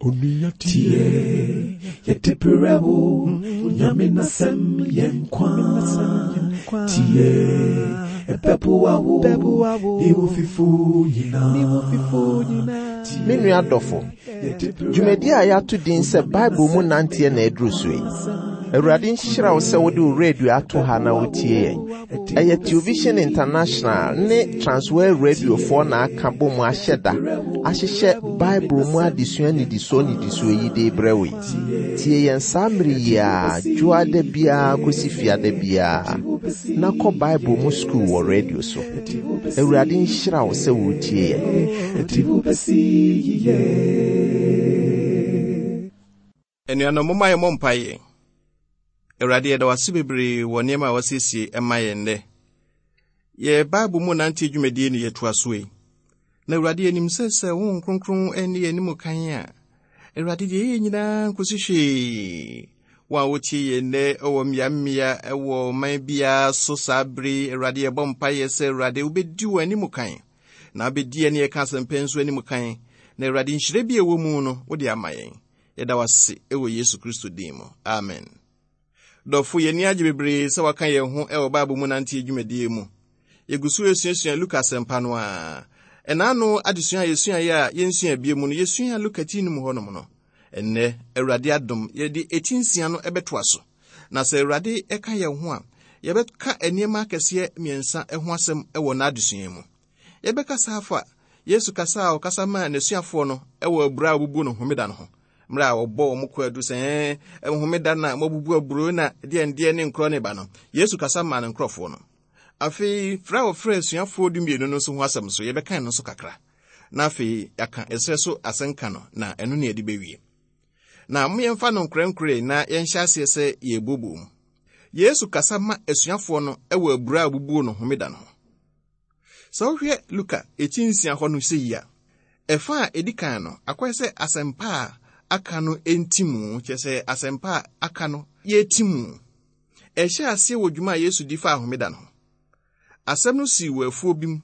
Onua tie, yɛde brɛ wo, Onyame n'asɛm yɛ nkwa. Tie, ɛbɛboa wo, ne wo fifo nyinaa. Me nua dɔfo, dwumadi a yɛato din sɛ Bible mu nanteɛ na aduru so yi. Awurade nhyira wo sɛ wode wo radio ato ha na wotie yɛn. Ɛyɛ Television International ne Transworld Radiofoɔ na aka bɔ mu ahyɛ da ahyehyɛ Bible mu adesua nnidisoɔ nnidisoɔ yi de rebrɛ wo yi. Tie yɛn saa mmere yi ara, dwoada biara kɔsi fiada biara, na kɔ Bible mu sukuu wɔ radio so. Awurade nhyira wo sɛ woretie yɛn. Anuanom, momma yɛmmɔ mpaeɛ. Awurade, yɛda wo ase bebree wɔ nneɛma a wasiesie ma yɛn nnɛ. Yɛ Bible mu nante dwumadie no yɛtoa so yi. Na Awurade, yɛnim sɛ sɛ wo Honhom Kronkron ne yɛn anim kan a, Awurade, deɛ yɛyɛ nyinaa nkosi hwee. Wɔn a wɔtie yɛn nnɛ wɔ mmeammea wɔ ɔman biara so saa bere yi, Awurade, yɛbɔ mpaeɛ sɛ Awurade wobɛdi wɔn anim kan na wobɛdi yɛne yɛka asɛmpa nso anim kan na Awurade nhyira bi a ɛwɔ mu no wode ama yɛn. Yɛda wo ase wɔ Yesu Kristo din mu. Amen. Dɔfo, yɛn ani agye bebree sɛ waka yɛn ho wɔ Bible mu nanteɛ dwumadie mu. Yɛgu so resuasua Luka asɛmpa no a. Ɛnaano adesua a yɛsuaeɛ a yɛnsua bie mu no, yɛsuaa Luka ti no mu hɔnom no. Ɛnnɛ, Awurade adom, yɛde eti nsia no bɛtoa so. Na sɛ Awurade ka yɛn ho a, yɛbɛka nneɛma akɛseɛ mmiɛnsa ho asɛm wɔ n'adesua mu. Yɛbɛkasa afa Yesu kasa a ɔkasa maa n'asuafoɔ no wɔ abura a wɔbubu no homeda no ho, mmerɛ a ɔbɔ wɔn kwaadu sɛ ɛɛ homeda na moabubu aburo na deɛ ndeɛ ne nkorɔ ne ba no. Yesu kasa maa ne nkurɔfoɔ no. Afei, frɛ a wɔfrɛ asuafoɔ dumienu no nso ho asɛm so, yɛbɛkan no nso kakra. Na afei, yɛaka ɛserɛ so asɛnka no, na ɛno ne yɛde bɛwie. Na mo yɛmfa no nkorɛnkorɛ na yɛnhyɛ aseɛ sɛ yɛrebuobuo mu. Yesu kasa ma asuafoɔ no wɔ abura a wɔbubuo no homeda no ho. Sɛ wohwɛ Luka eti nsia hɔ no sɛ yi a, ɛfa a edi kan no, akɔyɛ sɛ asɛmpa a aka no nti mu, kyerɛ sɛ asɛmpa a aka no yɛti mu. Ɛhyɛ aseɛ wɔ dwuma a Yesu di faa homeda no ho. Asɛm no sii wɔ afuo bi mu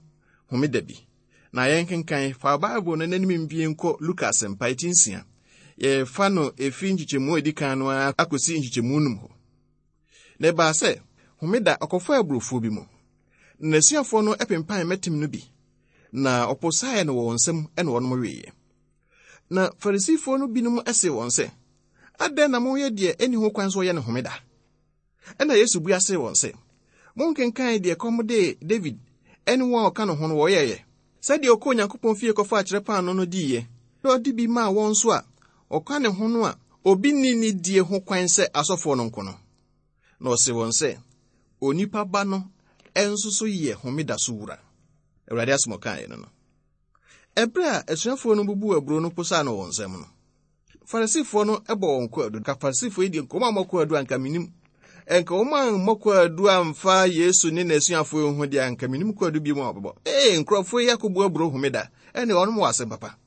homeda bi. Na yɛnkenkan fa Bible no n'anim mbie nkɔ Luka asɛmpa eti nsia. Yɛfa no efi nkyekyɛmu a edi kan no ara akɔsi nkyekyɛmu num hɔ. Na ɛbaa sɛ, homeda ɔkɔfaa aburofuo bi mu. Na n'asuafoɔ no pempan mmɛtem no bi, na ɔposaeɛ no wɔ wɔn nsam na wɔnom weeɛ. Na Farisifoɔ no binom see wɔn sɛ, Adɛn na moyɛ deɛ ɛnni ho kwan sɛ wɔyɛ no homeda? Ɛnna Yesu bua see wɔn sɛ, Monkenkan deɛ kɔm dee David ne wɔn a wɔka ne ho no wɔyɛeɛ, sɛdeɛ ɔkɔɔ Onyankopɔn fie kɔfaa kyerɛ paanoo no diiɛ, na ɔde bi maa wɔn nso a ɔka ne ho no a obi nni ne die ho kwan sɛ asɔfoɔ no nko no. Na ɔse wɔn sɛ, Onipa Ba no nso so yɛ homeda so wura. Awurade asɛm ɔkaeɛ no no. Ɛberɛ a asuafoɔ no bubuu aburo no posaa no wɔn nsam no, Farisifoɔ no bɔ wɔn kwaadu. Ka Farisifoɔ yi deɛ nka wɔn ammɔ kwaadu anka menim. Nka wɔn ammɔ kwaadu amfa Yesu ne n'asuafoɔ yi ho deɛ anka menim kwaadu bi mu a wɔbɛbɔ. Ee, nkurɔfoɔ yi akɔbu aburo homeda, ɛne wɔn wɔ asɛm papa.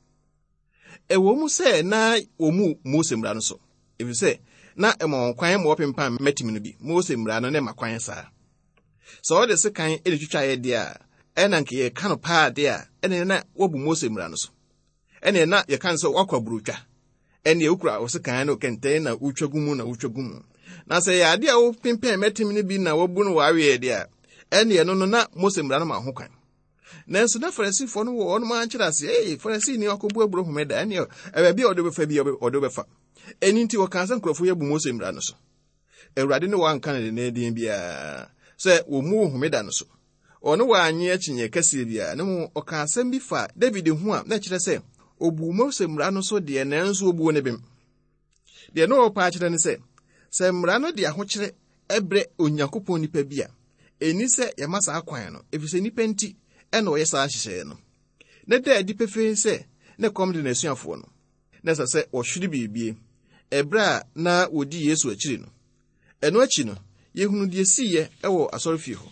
Ɛwɔ mu sɛ na wɔmmu Mose mmara no so, efisɛ na ɛma wɔn kwan ma wɔpempan mmɛtem no bi. Mose mmara no na ɛma kwan saa. Sɛ wɔde sekan na etwitwaeɛ deɛ a, ɛna nka yɛka no paa deɛ a, ɛna na wɔabu Mose mmara no so. Ɛna na yɛka no sɛ wakɔ aburotwa. Ɛnna wokura wo sekan ne wo kɛntɛn na wotwa gu mu na wotwa gu mu. Na sɛ yɛ adeɛ a wopempɛn mmɛtem no bi na wɔabu no wɔ aweɛ deɛ a, ɛnna ɛno no na Mose mmara no ma ho kwan. Nanso na Farisifoɔ no wɔ wɔn ara nkyerɛaseɛ. Ee, Farisini akɔbu aburo homeda, ɛnneɛ baabi a ɔde bɛfa bi ɔde bɛfa. Ɛno nti wɔkaa sɛ nkurɔfoɔ yi abu Mose mmara no so. Awurade ne wɔn anka no dendeenden biara sɛ wɔmmu homeda no so. Ɔne wɔn annye akyinnye kɛseɛ biara, na mmom ɔkaa asɛm bi faa David ho a na ɛkyerɛ sɛ ɔbuu Mose mmara no so deɛ nanso ɔbuu ne bem. Deɛ na ɔrepɛ akyerɛ ne sɛ, sɛ mmara no de ahokyerɛ brɛ Onyankopɔn nipa bi a, ɛnni sɛ yɛma saa kwan no, efisɛ nnipa nti na ɔyɛ saa nhyehyɛeɛ no. Na ɛda adi pefee sɛ na ɛkɔm de n'asuafoɔ no. Na ɛsɛ sɛ wɔhwere biribi ɛberɛ a na wɔdi Yesu akyiri no. Ɛno akyi no, yɛhunu deɛ siiɛ wɔ asɔrefie hɔ.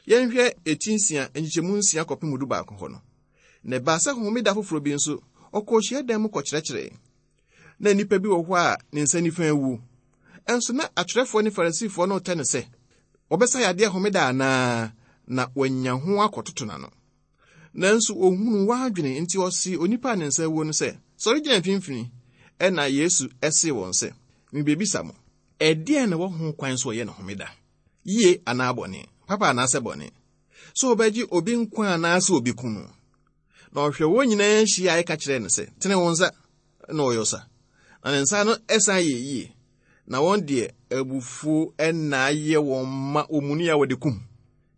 Yɛnhwɛ eti nsia, nkyekyɛmu nsia kɔpem du baako hɔ no. Na ɛbaa sɛ homeda foforɔ bi nso, ɔkɔɔ hyiadan mu kɔkyerɛkyerɛe. Na nnipa bi wɔ hɔ a ne nsa nifa awu. Ɛnso na atwerɛfoɔ ne Farisifoɔ no retɛ no sɛ wɔbɛsa yadeɛ homeda anaa, na wɔanya ho akɔtoto n'ano. Nanso ɔhunuu wɔn adwene, nti ɔsee onipa a ne nsa awuo no sɛ, Sɔre gyina mfimfini. Ɛnna Yesu see wɔn sɛ, Mibebisa mo, ɛdeɛn na ɛwɔ ho kwan sɛ wɔyɛ no homeda? Yie anaa bɔne? Papa anaasɛ bɔne? Sɛ wɔbɛgye obi nkwa anaasɛ obi ku no? Na ɔhwɛ wɔn nyinaa hyiae ka kyerɛɛ no sɛ, Tene wo nsa. Na ɔyɔ sa. Na ne nsa no san yɛ yie. Na wɔn deɛ, abufuo na ayɛ wɔn ma wɔmuni a wɔde kum.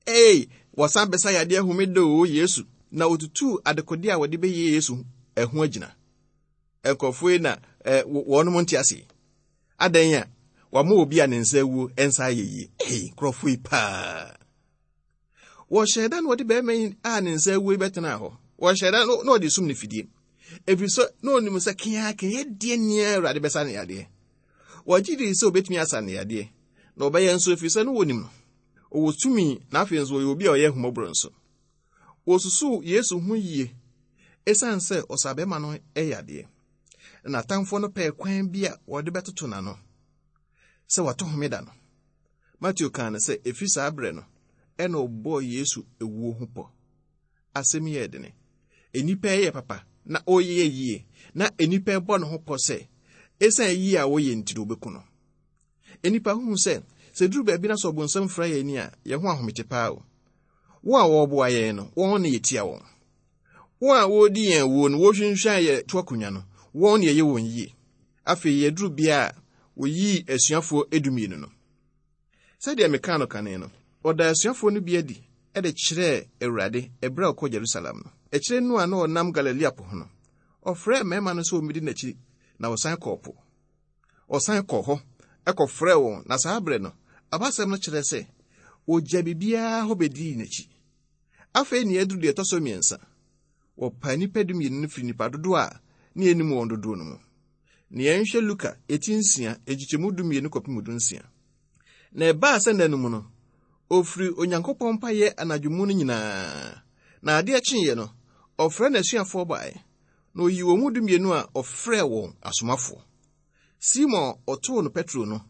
Ei, wɔsan bɛsa yadeɛ homeda oo, Yesu! Na wɔtutuu adekodeɛ a wɔde bɛyɛ Yesu ho agyina. Nkurɔfoɔ yi na eh, wɔnom nte ase. Adɛn a wɔama obi a ne nsa awuo nsa ayɛ yie? Ei, nkurɔfoɔ yi paa. Wɔhyɛɛ da na wɔde barima yi a ne nsa awuo yi bɛtenaa hɔ. Wɔhyɛɛ da na wɔde sum no fidie. Ɛfiri sɛ na ɔnim sɛ keakea deɛ nea Awurade bɛsa ne yadeɛ. Wɔgye dii sɛ obɛtumi asa ne yadeɛ, na ɔbɛyɛ nso ɛfiri sɛ na wɔnim no. Ɔwɔ tumi na afei nso ɔyɛ obi a ɔyɛ ahummɔborɔ nso. Wɔsusuw Yesu ho yie esiane sɛ ɔsaa bɛrima no yadeɛ. Na n'atamfoɔ no pɛɛ kwan bi a wɔde bɛtoto n'ano sɛ wato homeda no. Mateo kaa no sɛ ɛfiri saa berɛ no ɛna ɔbɔɔ Yesu ewuo ho pɔ. Asɛm yi yɛ dene. Nnipa yɛ papa na ɔyɛ yie na nnipa bɔ ne ho pɔ sɛ ɛsiane yie a wɔyɛ nti no wɔbɛku no. Nnipa hu sɛ sɛ duru baabi na sɛ ɔbonsam fira yɛn ani a, yɛn ho ahomete paa o. Wɔn a wɔreboa yɛn no, wɔn na yɛtia wɔn. Wɔn a wɔredi yɛn awuo no, wɔrehwinhwan yɛn to akonnwa no, wɔn na yɛyɛ wɔn yie. Afei yɛduru bea a wɔyii asuafoɔ edumienu no. Sɛdeɛ mekaa no kane no, wɔdaa asuafoɔ no bi adi de kyerɛɛ Awurade ɛberɛ a ɔkɔɔ Jerusalem no. Akyire no a na ɔnam Galilea po ho no, ɔfrɛɛ mmarima no sɛ wɔmmɛdi n'akyi, na wɔsan kɔɔ po. Ɔsan kɔɔ hɔ kɔfrɛɛ wɔn, na saa berɛ no, abasɛm no kyerɛ sɛ wɔgya biribiara hɔ bɛdii n'akyi. Afei nea aduru deɛ ɛtɔ so mmiɛnsa, wɔpaa nnipa dumienu no firi nnipa dodoɔ a ne yɛnnim wɔn dodoɔ no mu. Na yɛnhwɛ Luka eti nsia, nkyekyɛmu dumienu kɔpem dunsia. Na ɛbaa sɛ nna no mu no, ɔfiri Onyankopɔn mpaeɛ anadwo mu no nyinaa, na adeɛ kyeeɛ no, ɔfrɛɛ n'asuafoɔ baeɛ, Na oyii wɔn mu dumienu a ɔfrɛɛ wɔn asomafoɔ. Simon a ɔtoo no Petro no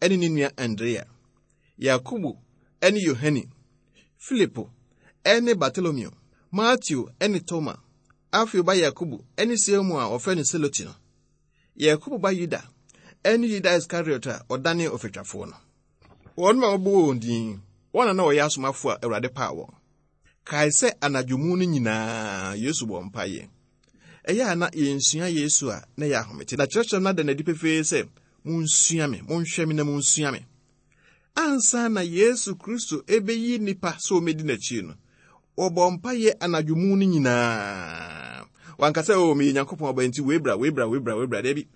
ne ne nua Andrea, Yakobo ne Yohane, Filipo ne Bartolomeo, Mateo ne Toma, Alfeo ba Yakobo ne Simon a wɔfrɛ no Seloti no, Yakobo ba Yuda ne Yuda Iskariot a ɔdanee ɔfatwafoɔ no. Wɔn a wɔbɔɔ wɔn din, wɔn na na wɔyɛ asomafoɔ a Awurade paa wɔn. Kae sɛ anadwo mu no nyinaa Yesu bɔɔ mpaeɛ. Ɛyɛ a na yɛnsua Yesu a na ɛyɛ ahomete. Na kyerɛkyerɛ no ada no adi pefee sɛ, Monsua me, monhwɛ me na monsua me. Ansa na Yesu Kristo ɛbɛyi nnipa sɛ wɔmmɛdi n'akyi no, wɔbɔ mpaeɛ anadwo mu no nyinaa. Wanka sɛ, o oh, meyɛ Nyankopɔn ɔba nti wei bra, wei bra, wei bra, wei bra. Dabi.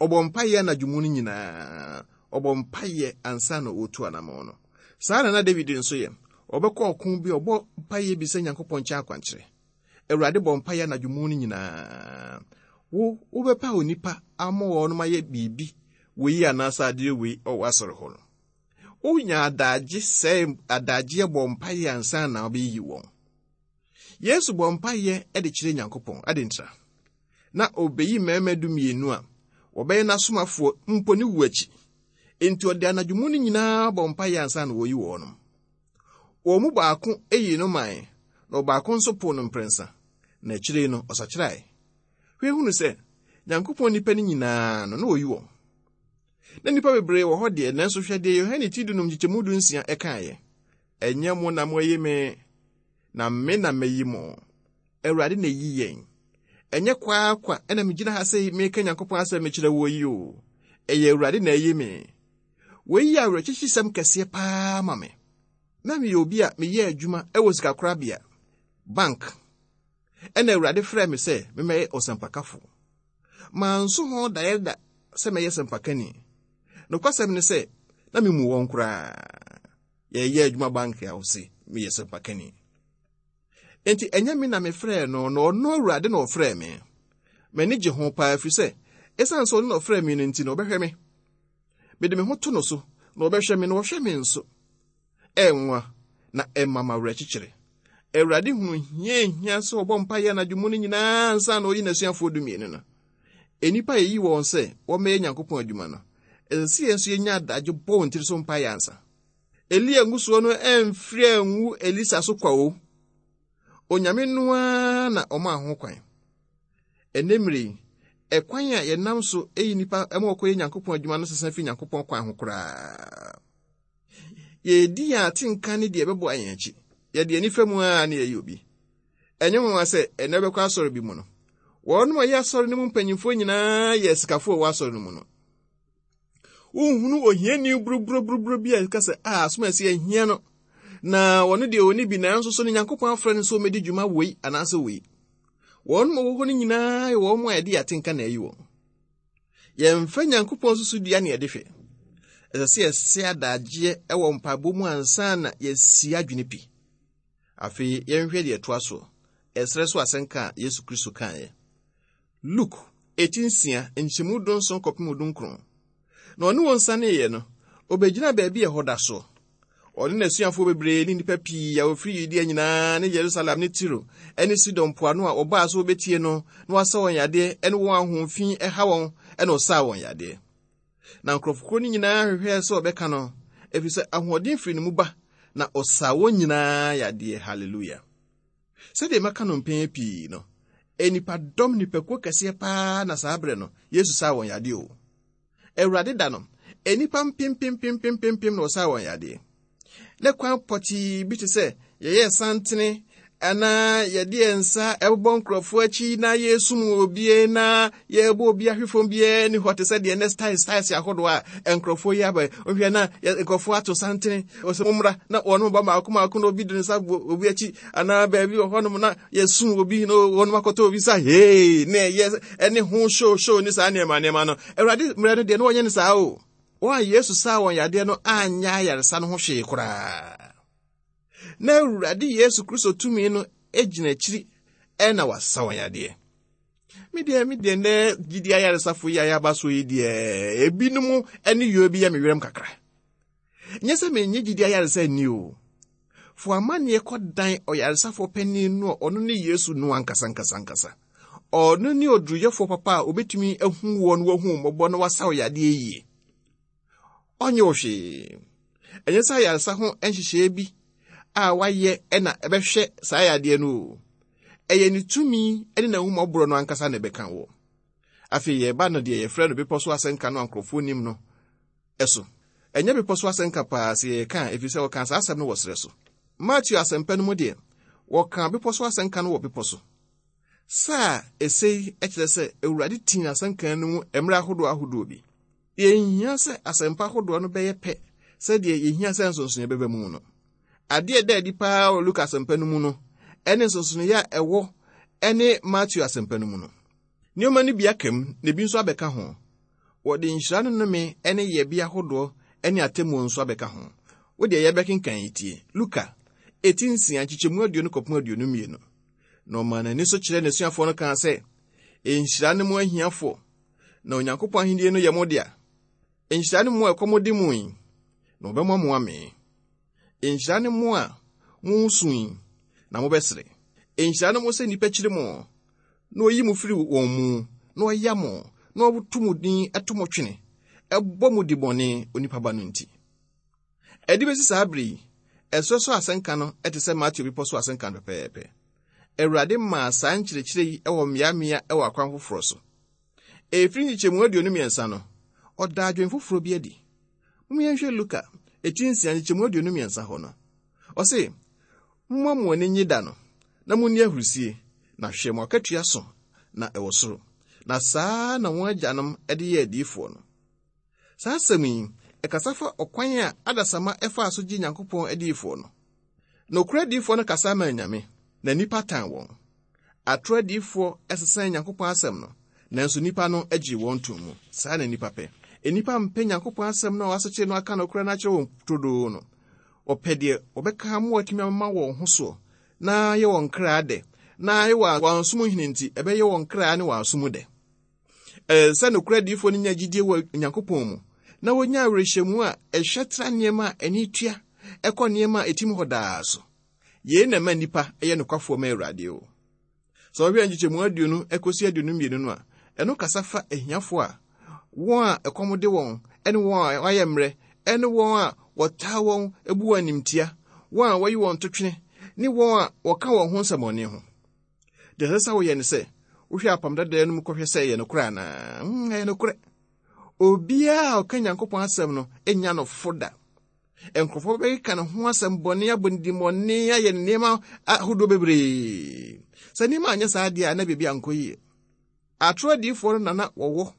Ɔbɔ mpaeɛ anadwo mu no nyinaa. Ɔbɔ mpaeɛ ansa na ɔretu anammɔn no. Saa na na David nso yɛ. Ɔbɛkɔ ɔko bi a, ɔbɔ mpaeɛ bisa Nyankopɔn nkyɛn akwankyerɛ. Awurade bɔ mpaeɛ anadwo mu no nyinaa. Wo, wobɛpa onipa ama wɔnom ayɛ biribi wei anaasɛ adeɛ wei wɔ w'asɔre hɔ no. Wonya adagye sɛe adagyeɛ bɔ mpaeɛ ansa na wobɛyiyi wɔn. Yesu bɔ mpaeɛ de kyerɛ Nyankopɔn. Adɛn ntira? Na ɔbɛyi mmarima dumienu a wɔbɛyɛ n'asomafoɔ mpo ne wu akyi. Enti ɔde anadwo mu no nyinaa bɔ mpaeɛ ansa na wɔyi wɔnom. Wɔn mu baako yii no mae, na ɔbaako nso poo no mprɛnsa, na akyire no ɔsakyerae. Hwɛ hunu sɛ, Nyankopɔn nnipa no nyinaa no, na wɔyi wɔn. Na nnipa bebree wɔ hɔ deɛ, nanso hwɛ deɛ Yohane ti dunum nkyekyɛmu dunsia ɛkaeɛ. Ɛnyɛ mo na moayi me, na me na mayi mo. Awurade na eyi yɛn. Ɛnyɛ kwaakwa na megyina ha sɛ meka Nyankopɔn asɛm mekyerɛ woɔ yi o. Ɛyɛ Awurade na ayi me. Wei yɛ awerɛkyekyesɛm kɛseɛ paa ma me. Na meyɛ obi a meyɛ adwuma wɔ sikakorabea, bank, ɛna Awurade frɛɛ me sɛ memmɛyɛ ɔsɛmpakafo. Manso ho daeɛ da sɛ mɛyɛ sɛmpakani. Nokwasɛm ne sɛ, na memmu wɔn koraa. Yɛyɛ adwuma bank a ɔse meyɛ sɛmpakani. Enti ɛnyɛ me na mefrɛɛ no, na ɔno Awurade na ɔfrɛɛ me. M'ani gye ho paa ɛfiri sɛ, ɛsiane sɛ ɔno na ɔfrɛɛ me no nti na ɔbɛhwɛ me. Mede me ho to no so, na ɔbɛhwɛ me, na ɔhwɛ me nso. Ɛnwa, na ɛma m'awerɛkyekyere. Awurade hunu hia ehia sɛ ɔbɔ mpaeɛ anadwo mu no nyinaa ansa na ɔyi n'asuafoɔ dumienu no. Nnipa a yɛyi wɔn sɛ wɔmmɛyɛ Nyankopɔn adwuma no, ɛsɛ sɛ yɛn nso yɛnya adagye bɔ wɔn tiri so mpaeɛ ansa. Elia ngusoɔ no amfiri angu Elisa so kwa o. Onyame no ara na ɔmaa ho kwan. Ɛnnɛ mmerɛ yi, Ɛkwan a yɛnam so yi nnipa ma wɔkɔyɛ Nyankopɔn adwuma no sesa fi Nyankopɔn kwan ho koraa. Yɛredi yɛn atenka ne deɛ ɛbɛboa yɛn akyi. Yɛde ani fa mu ara na yɛyɛ obi. Ɛnyɛ nwanwa sɛ ɛnnɛ wobɛkɔ asɔre bi mu no, wɔnom a ɛyɛ asɔre no mu mpanyimfoɔ nyinaa yɛ asikafoɔ a ɛwɔ asɔre no mu no. Wonhunu ohiani buruburuburuburu bi a ɛka sɛ, a asom a ɛsɛ ahia no, na wɔno deɛ ɔni bi nanso so no Nyankopɔn afrɛ no sɛ ɔmmɛdi dwuma wei anaasɛ wei. Wɔn a wɔwɔ hɔ no nyinaa yɛ wɔn a ɛde atenka na ayi wɔn. Yɛmfa Nyankopɔn susudua ne yɛde hwɛ. Ɛsɛ sɛ yɛsɛ adagyeɛ wɔ mpaebɔ mu ansa na yɛasi adwene pi. Afei yɛnhwɛ deɛ ɛtoa soɔ, ɛserɛ so asɛnka a Yesu Kristo kaeɛ. Luke, eti nsia, nkyɛmu dunson kɔpem dunkron. Na ɔne wɔn saneeɛ no, ɔbɛgyinaa baabi a ɛhɔ da soɔ. Ɔne n'asuafoɔ bebree ne nnipa pii a wɔfiri Yudea nyinaa ne Yerusalem ne Tiro ne Sidon mpoano a wɔbaa sɛ wɔbɛtie no na wasa wɔn yadeɛ ne wɔn a honhom fi ha wɔn na ɔsaa wɔn yadeɛ. Na nkurɔfokuo no nyinaa hwehwɛɛ sɛ wɔbɛka no, ɛfiri sɛ ahoɔden firi ne mu ba, na ɔsaa wɔn nyinaa yadeɛ. Hallelujah. Sɛdeɛ maka no mpɛn pii no, nnipadɔm nnipakuo kɛseɛ paa na saa berɛ no Yesu saa wɔn yadeɛ o. Awurade da no, nnipa mpempempempempem na wɔsaa wɔn yadeɛ. Ne kwan pɔtee bi te sɛ yɛyɛ santene anaa yɛde yɛn nsa ɛbobɔ nkurɔfoɔ akyi na yɛsum obie na yɛbɔ obi ahwe fam biara ni hɔ te sɛ deɛ ne styles styles ahodoɔ a nkurɔfoɔ yi aba wohwɛ na nkurɔfoɔ ato santene wɔsɛ mommra na wɔn ba mmaako mmaako na obi de ne nsa bɔ obi akyi anaa baabi wɔ hɔnom na yɛsum obi na wɔnom akɔtɔ obi sa hee na ɛyɛ ɛne ho show show ne saa nneɛma nneɛma no awurade mmerɛ no deɛ na wɔnyɛ no saa o wɔn a yesu saa wɔn yadeɛ no anyɛ ayaresa no ho hwee koraa na awurade yesu kristo tumi no gyina akyiri ɛna wasa wɔn yadeɛ me deɛ me deɛ nnɛ gyidi ayaresafo yi a yɛaba so yi deɛ ebinom ne yɔ bi yɛ me werɛm kakra Nyɛ sɛ mennye gyidi ayaresa nni o. Fa w'amanneɛ kɔdan ɔyaresafoɔ panin no a ɔno ne Yesu no ankasa ankasa ankasa. Ɔno ne oduruyɛfoɔ papa a obetumi ahu woɔ na wahu wo mmɔbɔ na wasa wo yadeɛ yie. Ɔnyɛ wo hwee. Ɛnyɛ sɛ ayaresa ho nhyehyɛeɛ bi a wayɛ na ɛbɛhwɛ saa yadeɛ no o. Ɛyɛ ne tumi ne n'ahummɔborɔ no ankasa na ɛbɛka woɔ. Afei yɛreba no deɛ yɛfrɛ no bepɔ so asɛnka no a nkurɔfoɔ nim no so. Ɛnyɛ bepɔ so asɛnka paa sɛ yɛreka a, ɛfiri sɛ wɔkaa saa asɛm no wɔ serɛ so. Mateo asɛmpa no mu deɛ, wɔkaa bepɔ so asɛnka no wɔ bepɔ so. Saa a ɛsɛ yi kyerɛ sɛ Awurade tii n'asɛnka no mu mmerɛ ahodoɔ ahodoɔ bi. Yɛnhia sɛ asɛmpa ahodoɔ no bɛyɛ pɛ sɛdeɛ yɛhia sɛ nsonsonoeɛ bɛba mu no. Adeɛ ɛda adi paa wɔ Luka asɛmpa no mu no ɛne nsonsonoeɛ a ɛwɔ ɛne Mateo asɛmpa no mu no. Nneɛma no bi aka mu na ebi nso abɛka ho. Wɔde nhyira ne nnome ne yɛbea hodoɔ ne atemmuo nso abɛka ho. Wo deɛ yɛbɛkenkan yi tie. Luka, eti nsia, nkyekyɛmu aduonu kɔpem aduonu mmienu. Na ɔmaa n'ani so kyerɛɛ n'asuafoɔ no kaa sɛ, Nhyira ne mo ahiafoɔ, na Onyankopɔn ahennie no yɛ mo dea. Nhyira ne mo a ɛkɔm de mo yi, na wɔbɛma mo amee. Nhyira ne mo a moresu yi, na mobɛsere. Nhyira ne mo sɛ nnipa kyiri mo, na wɔyi mo firi wɔn mu, na wɔya mo, na wɔto mo din to mo twene, ɛbɔ mo dibɔne onipa ba no nti. Ɛde bɛsi saa bere yi, ɛserɛ so asɛnka no te sɛ Mateo Bepɔ so asɛnka no pɛpɛɛpɛ. Awurade maa saa nkyerɛkyerɛ yi wɔ mmeammea wɔ akwan foforɔ so. Ɛfiri nkyekyɛmu 23 no, ɔdaa adwene foforɔ bi adi. Mom yɛnhwɛ Luka, eti nsia nkyekyɛmu 23 hɔ no. Ɔse, Momma mo ani nnye da no, na munni ahurusie, na hwɛ mo akatua so na ɛwɔ soro. Na saa na wɔn agyanom de yɛɛ adiyifoɔ no. Saa asɛm yi, ɛkasa fa ɔkwan a adasamma faa so gye Nyankopɔn adiyifoɔ no. Nokorɛ adiyifoɔ no kasa maa anyame, na nnipa tan wɔn. Atoro adiyifoɔ sesaa Nyankopɔn asɛm no, nanso nnipa no gyee wɔn too mu. Saa na nnipa pɛ. Nnipa mpɛ Nyankopɔn asɛm no a wɔasekyere no aka nokorɛ no akyerɛ wɔn turodoo no. Wɔpɛ deɛ wɔbɛka ama wɔatumi ama wɔn ho soɔ na ayɛ wɔn kra dɛ, na ayɛ wɔn aso mu hene nti, ɛbɛyɛ wɔn kra ne wɔn aso mu dɛ. Ɛsɛ sɛ nokorɛ adiyifoɔ no nya gyidie wɔ Onyankopɔn mu, na wɔnya awerɛhyɛmu a ɛhwɛ tra nneɛma a ani tua ɛkɔ nneɛma a ɛtim hɔ daa so. Yei na ɛma nnipa yɛ nokwafoɔ ma Awurade o. Sɛ wɔhwɛ nkyekyɛmu aduonu kɔsi aduonu mmienu no a, ɛno kasa fa ahiafoɔ a wɔn a ɛkɔm de wɔn ne wɔn a wɔayɛ mmerɛ ne wɔn a wɔtaa wɔn bu wɔn animtia, wɔn a wɔyi wɔn totwene ne wɔn a wɔka wɔn ho nsɛmmɔne ho. Deɛ ɛsɛ sɛ woyɛ ne sɛ, Wohwɛ apam dadaa no mu kɔhwɛ sɛ ɛyɛ nokorɛ anaa? Hmm, ɛyɛ nokorɛ. Obiara a ɔka Nyankopɔn asɛm no nya no fo da. Nkurɔfoɔ bɛkeka ne ho asɛm bɔne, abɔ ne dimmɔne, ayɛ ne nneɛma ahodoɔ bebree. Sɛ nneɛma anyɛ saa deɛ a, na biribi ankɔ yie. Atoro adiyifoɔ no na na wɔwɔ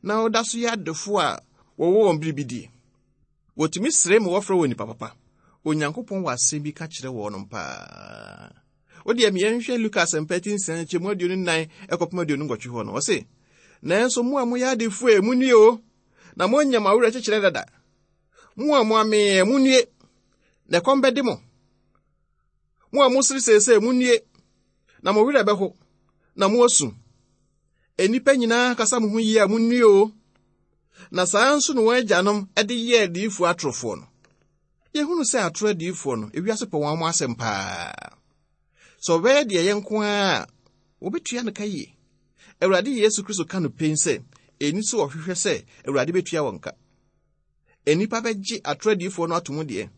na wɔda so yɛ adefoɔ a wɔwɔ wɔn biribi die. Wɔtumi sere ma wɔfrɛ wɔn nnipa papa. Onyankopɔn wɔ asɛm bi ka kyerɛ wɔnom paa. Wo deɛ yɛnhwɛ Luka asɛmpa ti nsia nkyɛmu 24 ɛkɔpem 28 hɔ no, ɔse, Nanso mo a moyɛ adefoɔ e, monnue o, na moanya mo awerɛkyekyerɛ dada. Mo a moamee, monnue, na ɛkɔm bɛde mo. Mo a mosere seesei, munnue, na mo werɛ bɛho, na moasu. Nnipa nyinaa kasa mo ho yie a, munnue o. Na saa nso na wɔn agyanom de yɛɛ adiyifoɔ atorofoɔ no. Yɛhunu sɛ atoro adiyifoɔ no, ewiase pɛ wɔn asɛm paa. Sɛ ɔbɛyɛ deɛ ɛyɛ nko ara a, wɔbɛtua no ka yie. Awurade Yesu Kristo ka no pen sɛ, ɛnni sɛ wɔhwehwɛ sɛ Awurade bɛtua wɔn ka. Nnipa bɛgye atoro adiyifoɔ no ato mu deɛ,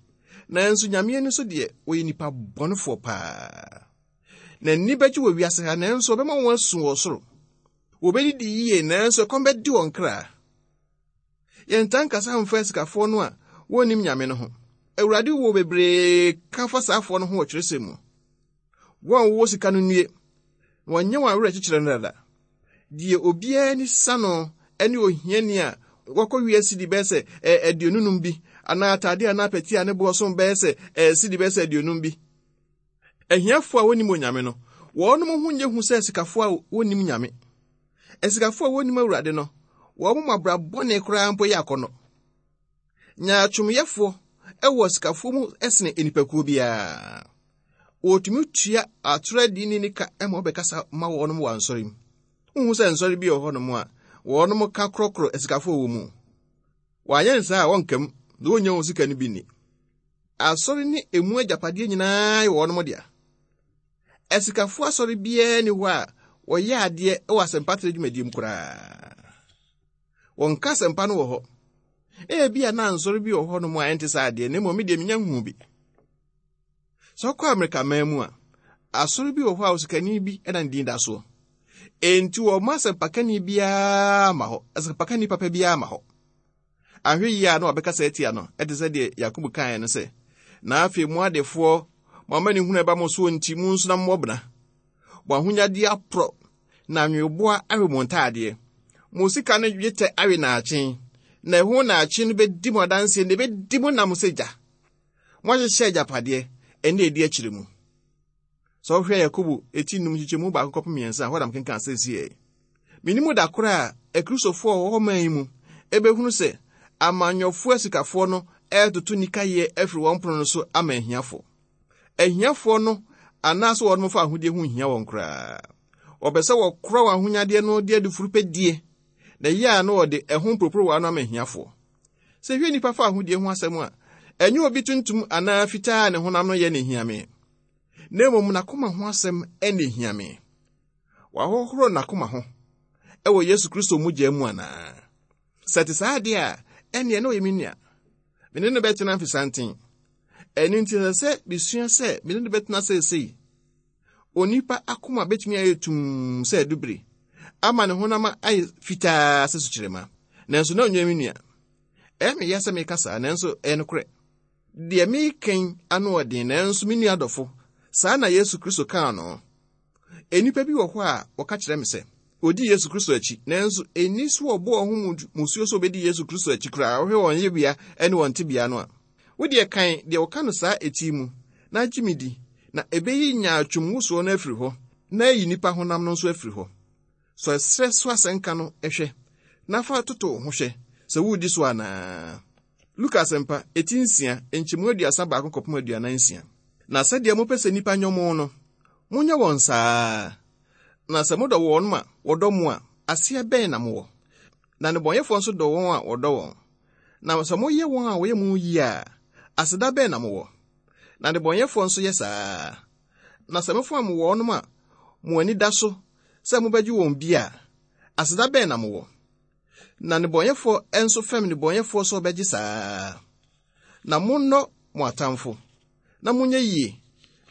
nanso Nyame ani so deɛ, wɔyɛ nnipa bɔnefoɔ paa. N'ani bɛgye wɔ wiase ha, nanso ɔbɛma wɔn asu wɔ soro. Wɔbɛdidi yie, nanso ɛkɔm bɛde wɔn kra. Yɛntaa nkasa mfa asikafoɔ no a wɔnnim Nyame no ho. Awurade wɔ bebree ka fa saafoɔ no ho wɔ twerɛsɛm mu. Wɔn a wɔwɔ sika no nnue, na wɔnyɛ wɔn awerɛkyekyerɛ no dada. Deɛ obiara ani sa no ne ohiani a wakɔ wia sidi bɛyɛ sɛ 55 bi, anaa atade anaa pɛti a ne boɔ som bɛyɛ sɛ sidi bɛyɛ sɛ 50 bi. Ahiafoɔ a wɔnnim Onyame no, wɔnom ho nyɛ hu sɛ asikafoɔ a wɔnnim Nyame. Asikafoɔ a wɔnnim Awurade no, wɔn mu abra bɔne koraa mpo yɛ akɔnnɔ. Nyaatwomyɛfoɔ wɔ asikafoɔ mu sene nnipakuo biara. Wɔtumi tua atoro adini ne ka ma wɔbɛkasa ma wɔnom wɔ ansɔre mu. Wohu sɛ nsɔre bi wɔ hɔnom a wɔnom ka korɔkorɔ asikafoɔ wɔ mu. Wɔanyɛ no saa a wɔnka mu na wɔnnya wɔn sika no bi nni. Asɔre ne emu agyapadeɛ nyinaa yɛ wɔnom dea. Asikafoɔ asɔre biara nni hɔ a wɔyɛ adeɛ wɔ asɛmpatrɛ dwumadie mu koraa. Wɔnka asɛmpa no wɔ hɔ. Ebia na nsɔre bi wɔ hɔnom a ɛnte saa deɛ, na mmom me deɛ menya nhuu bi. Sɛ wokɔ Amerika man mu a, asɔre bi wɔ hɔ a osikani bi na ne din da soɔ. Enti wɔmma asɛmpakani biara ma hɔ, asɛmpakani papa biara ma hɔ. Anhwɛ yie a na wabɛkasa atia no, ɛte sɛ deɛ Yakobo kaeɛ no sɛ, Na afei mo adefoɔ, mo amanehunu a ɛba mo soɔ nti, monsu na mommɔ bena. Mo ahonyadeɛ aporɔ, na nweweboa awe mo ntaadeɛ. Mo sika no dwetɛ awe naakye, na ɛho naakye no bɛdi mo adanseɛ na ɛbɛdi mo nam sɛ gya. Moahyehyɛ agyapadeɛ ɛne ɛdi akyire mu. Sɛ wohwɛ Yakobo eti num nkyekyɛmu baako kɔpem mmiɛnsa a, hɔ na mekenkan seesei. Menim da koro a Akristofoɔ a wɔwɔ hɔ man yi mu ɛbɛhunu sɛ amanyɔfoɔ asikafoɔ no ɛretoto nikayɛ afiri wɔn pono no so ama ahiafoɔ. Ahiafoɔ no anaasɛ wɔn fa ahodeɛ ho nhia wɔn koraa. Wɔpɛ sɛ wɔkora wɔn ahonyadeɛ no de adufuru pɛ die, na ɛyɛ a na wɔde ɛho mporoporowa no ama ahiafoɔ. Sɛ hwɛ nnipa fa ahodie ho asɛm a, ɛnyɛ obi tuntum anaa fitaa a ne honam no yɛ na ehia me, na mmom n'akoma ho asɛm na ehia me. Wahohoro n'akoma ho wɔ Yesu Kristo mogya mu anaa? Sɛ ɛte saa deɛ a, ɛnneɛ na ɔyɛ me nua. Me ne no bɛtena mfesanten. Ɛno nti ɛsɛ sɛ mesua sɛ me ne no bɛtena seesei. Onipa akoma betumi ayɛ tumm sɛ adubiri, ama ne honam ayɛ fitaa sɛ sukyerɛma, nanso na ɔnyɛ me nua. Ɛyɛ me ya sɛ meka saa, nanso ɛyɛ nokorɛ. Deɛ mereka yi ano ɔden, nanso me nua dɔfo, saa na Yesu Kristo kaa no. Nnipa bi wɔ hɔ a wɔka kyerɛ me sɛ wɔdi Yesu Kristo akyi, nanso ɛnni so wɔbɔ wɔn ho musuo sɛ wɔbɛdi Yesu Kristo akyi koraa. Wohwɛ wɔn yɛbea ne wɔn tebea no a, wo deɛ kan deɛ wɔka no saa eti mu na gye me di, na ɛbɛyi nyaatwom wosoɔ no afiri hɔ na ayi nnipa honam no nso afiri hɔ. Sɔ ɛserɛ so asɛnka no hwɛ na fa toto wo ho hwɛ sɛ woredi so anaa. Luka Asɛmpa, eti nsia, nkyɛmu 31 kɔpem 46. Na sɛdeɛ mopɛ sɛ nnipa nyɔ mo no, monyɛ wɔn saa ara. Na sɛ modɔ wɔn ma wɔdɔ mo a, aseɛ bɛn na mowɔ? Na nnebɔneyɛfoɔ nso dɔ wɔn a wɔdɔ wɔn. Na sɛ moyɛ wɔn a wɔyɛ mo yie a, aseda bɛn na mowɔ? Na nnebɔneyɛfoɔ nso yɛ saa ara. Na sɛ mofam wɔnom a mo ani da so sɛ mobɛgye wɔn bi a, aseda bɛn na mowɔ? Na nnebɔneyɛfoɔ nso fɛm nnebɔneyɛfoɔ sɛ wɔbɛgye saa ara. Na monnɔ mo atamfo, na monyɛ yie,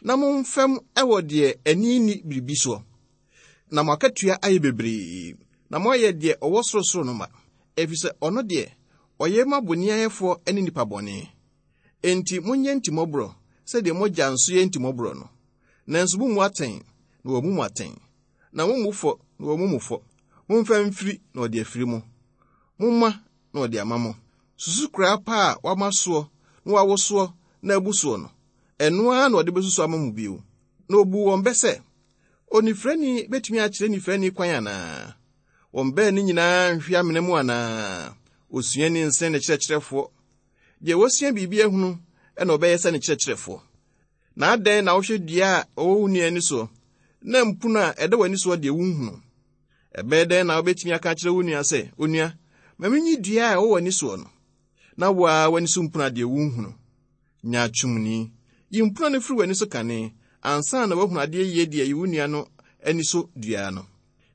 na momfɛm wɔ deɛ ani nni biribi soɔ. Na mo akatua ayɛ bebree, na moayɛ deɛ ɔwɔ sorosoro no mma, ɛfiri sɛ ɔno deɛ, ɔyɛ ma bonniayɛfoɔ ne nnipa bɔne. Enti monyɛ ntimmɔborɔ sɛdeɛ mo Agya nso yɛ ntimmɔborɔ no. Nanso mommu atɛn, na wɔammu mo atɛn, na mommu fɔ, na wɔammu mo fɔ. Momfa mfiri, na wɔde afiri mo. Momma, na wɔde ama mo. Susukoraa pa a wɔama soɔ na wɔawosoɔ na abu soɔ no, ɛno ara na wɔde bɛsusu ama mo bio. Na ɔbuu wɔn bɛ sɛ, Onifirani betumi akyerɛ nifirani kwan anaa? Wɔn baanu nyinaa nhwe amena mu anaa? Osuani nsen ne kyerɛkyerɛfoɔ. Deɛ wasua biribi ahunu na ɔbɛyɛ sɛ ne kyerɛkyerɛfoɔ. Na adɛn na wohwɛ dua a ɛwɔ wo nua ani soɔ, na mpono a ɛda w'ani soɔ deɛ wonhunu? Ɛbɛyɛ dɛn na wobɛtumi aka akyerɛ wo nua sɛ, Onua, ma menyi dua a ɛwɔ w'ani soɔ no, na wo ara w'ani so mpono a deɛ wonhunu? Nyaatwomni! Yi mpono no firi w'ani so kane, ansa na woahunu adeɛ yie de ayi wo nua no ani so dua no.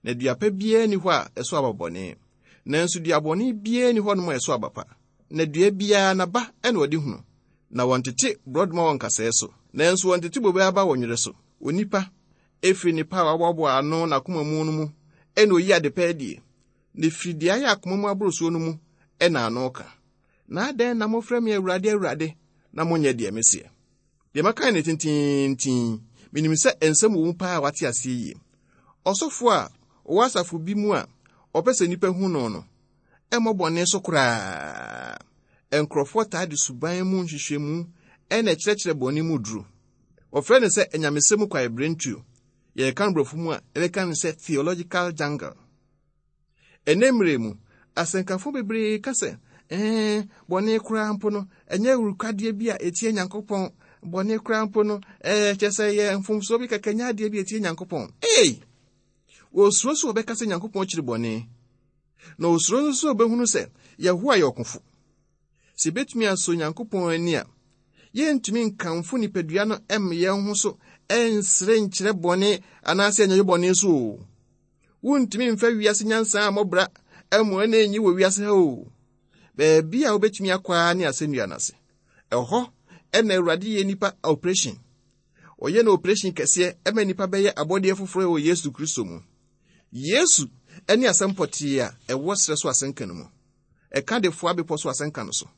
Na dua pa biara nni hɔ a ɛso aba bɔne, nanso dua bɔne biara nni hɔnom a ɛso aba pa. Na dua biara n'aba na wɔde hunu. Na wɔntete borɔdɔma wɔ nkasɛɛ so, nanso wɔntete bobe aba wɔ nwerɛ so. Onipa, ɛfiri nnepa a waboaboa ano n'akoma mu no mu na ɔyi adepa adie, na ɛfiri deɛ ayɛ akoma mu aborosoɔ no mu na ano ka. Na adɛn na mofrɛ me Awurade, Awurade, na monyɛ deɛ meseɛ? Deɛ maka ne tenteenten, menim sɛ nsɛm wɔ mu paa a wate aseɛ yie. Ɔsɔfoɔ a ɔwɔ asafo bi mu a ɔpɛ sɛ nnipa hu no no, ɛmmɔ bɔne so koraa. Nkurɔfoɔ taa de suban mu nhwehwɛmu na ɛkyerɛkyerɛ bɔne mu duru. Wɔfrɛ no sɛ anyamesɛm mu kwaebirentuo. Yɛreka no borɔfo mu a, yɛbɛka no sɛ theological jungle. Ɛnnɛ mmerɛ mu, asɛnkafo bebree ka sɛ, ɛɛ, bɔne koraa mpo no, ɛnyɛ awurukwadeɛ bi a ɛtia Nyankopɔn. Bɔne koraa mpo no, ɛɛ, kyerɛ sɛ ɛyɛ mfomsoɔ bi kɛkɛ, nyɛ adeɛ bi a ɛtia Nyankopɔn. Ei! Wɔsuro sɛ wɔbɛka sɛ Nyankopɔn kyiri bɔne, na wɔsuro nso sɛ wɔbɛhunu sɛ Yehowa yɛ ɔkofo. Sɛ yɛbɛtumi asɔ Onyankopɔn ani a, yɛrentumi nkamfo nipadua no mma yɛn ho so nsere nkyerɛ bɔne anaasɛ ɛnyɛ bɔne so o. Wontumi mfa wiase nyansa a mmɔ bra mmoa na enyi wɔ wiase ha o. Baabi a wobɛtumi akɔ ara ne asɛnnua no ase. Ɛhɔ na Awurade yɛ nnipa operation. Ɔyɛ no operation kɛseɛ ma nnipa bɛyɛ abɔdeɛ foforɔ wɔ Yesu Kristo mu. Yesu ne asɛm pɔtee a ɛwɔ serɛ so asɛnka no mu. Ɛka de foa bepɔ so asɛnka no so.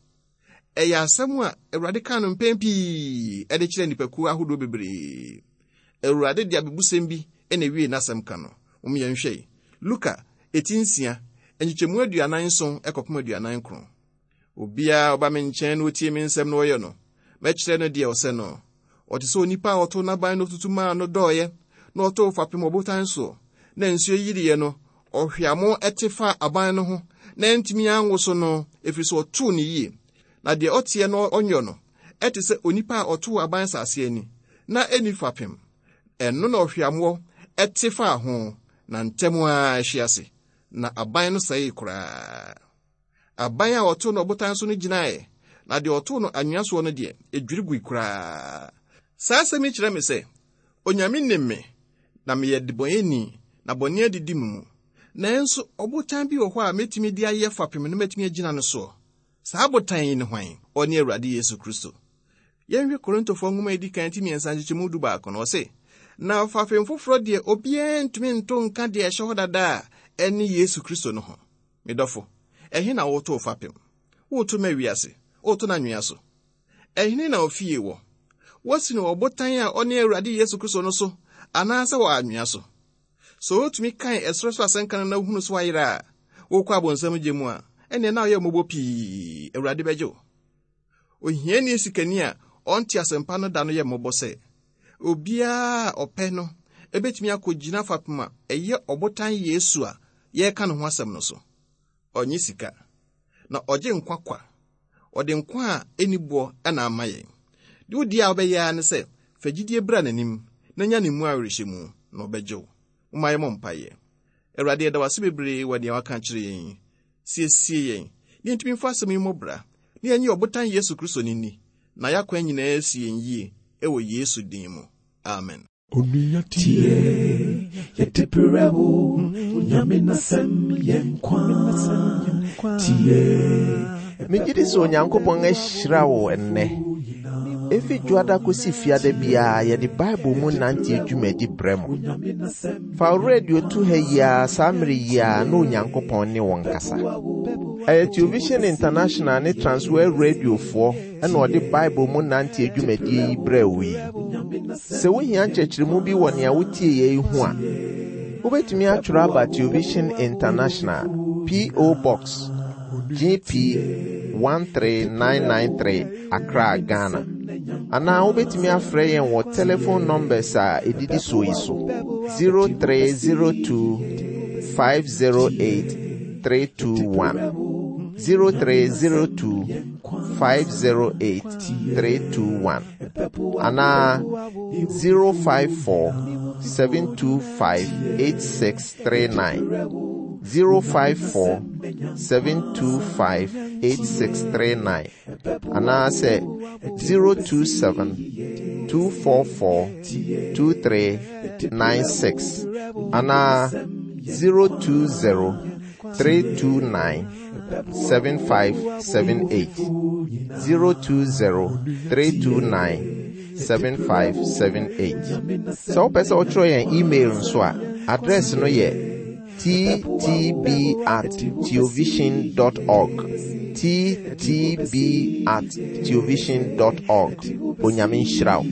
Ɛyɛ asɛm a Awurade kaa no mpɛn pii de kyerɛɛ nnipakuo ahodoɔ bebree. Awurade de abebusɛm bi na ewiee n'asɛm ka no. Mom yɛnhwɛ yi. Luka, eti nsia, nkyekyɛmu 47 kɔpem 49. Obiara a ɔba me nkyɛn na otie me nsɛm na ɔyɛ no, mɛkyerɛ no deɛ ɔsɛ no. Ɔte sɛ onipa a ɔtoo n'aban na otutu maa no dɔeɛ, na ɔtoo fapem ɔbotan soɔ, na nsuo yiriiɛ no, ɔhweamo te faa aban no ho, na antumi anwoso no, ɛfiri sɛ ɔtoo no yie. Na deɛ ɔteɛ na ɔnyɔ no, ɛte sɛ onipa a ɔtoo aban asase ani, na ɛnni fapem. Ɛno na ɔhweamoɔ te faa ho, na ntɛm ara ɛhwe ase, na aban no sɛee koraa. Aban a wɔtoo no ɔbotan so no gyinae, na deɛ ɔtoo no anwea soɔ no deɛ, ɛdwiri gui koraa. Saa asɛm yi kyerɛ me sɛ, Onyame nim me, na meyɛ debɔneyɛni, na bɔne adidi me mu. Nanso ɔbotan bi wɔ hɔ a mɛtumi de ayɛ fapem na matumi agyina no soɔ. Saa botan yi ne hwan? Ɔne Awurade Yesu Kristo. Yɛnhwɛ Korintofoɔ nwoma a ɛdi kan ti mmiɛnsa nkyekyɛmu 11 no, ɔse, Na fapem foforɔ deɛ obiara ntumi nto nka deɛ ɛhyɛ hɔ dada a ɛne Yesu Kristo no ho. Me dɔfo, ɛhe na woreto wo fapem? Woreto ma wiase? Woreto no anwea so? Ɛhene na ofie wɔ? Woasi no wɔ ɔbotan a ɔne Awurade Yesu Kristo no so anaasɛ wɔ anwea so? Sɛ wotumi kan ɛserɛ so asɛnka no na wohunu so ayera a, wokɔ abonsam gye mu a, ɛnneɛ na woyɛ mmɔbɔ pii. Awurade bɛgye wo. Ohiani sikani a ɔnte asɛmpa no da no yɛ mmɔbɔ sɛ obiara a ɔpɛ no ebetumi akogyina fapem a ɛyɛ ɔbotan Yesu a yɛreka ne ho asɛm no so. Ɔnnye sika, na ɔgye nkwa kwa. Ɔde nkwa a enni boɔ na ama yɛn. Deɛ wodi a wobɛyɛ ara ne sɛ fa gyidie bra n'anim na nya ne mu awerɛhyɛmu, na ɔbɛgye wo. Momma yɛmmɔ mpaeɛ. Awurade, yɛda wo ase bebree wɔ deɛ woaka akyerɛ yɛn yi. Siesie yɛn na yɛntumi mfa asɛm yi mmɔ bra, na yɛnnye ɔbotan Yesu Kristo no nni, na yɛn akwan nyinaa asi yɛn yie, wɔ Yesu din mu. Amen. Onua tie, yɛde brɛ wo, Onyame n'asɛm yɛ nkwa. Tie. Megye di sɛ Onyankopɔn ahyira wo ɛnnɛ. Efi dwoada kosi fiada biara yɛde Bible mu nante dwumadi brɛ mo. Fa wo radio to ha yi ara saa mmere yi ara na Onyankopɔn ne wo nkasa. Ɛyɛ Television International ne Transworld Radiofoɔ na ɔde Bible mu nante dwumadie yi brɛɛ wo yi. Sɛ wohia nkyerɛkyerɛmu bi wɔ nea wotie yɛ yi ho a, wobɛtumi atwerɛ aba Television International, P.O. Box GP 13993 Accra, Ghana. Anaa wobɛtumi afrɛ yɛn wɔ telephone numbers a ɛdidi soɔ yi so 0302 508 321 0302 508 321 anaa 054 725 8639 054 725 8639 anaasɛ 027 244 2396 anaa 020 329 7578 020 329 7578. Sɛ wopɛ sɛ wotwerɛ yɛn email nso a, address no yɛ ttb at theovision dot org. ttb at theovision dot org. Onyame nhyira wo.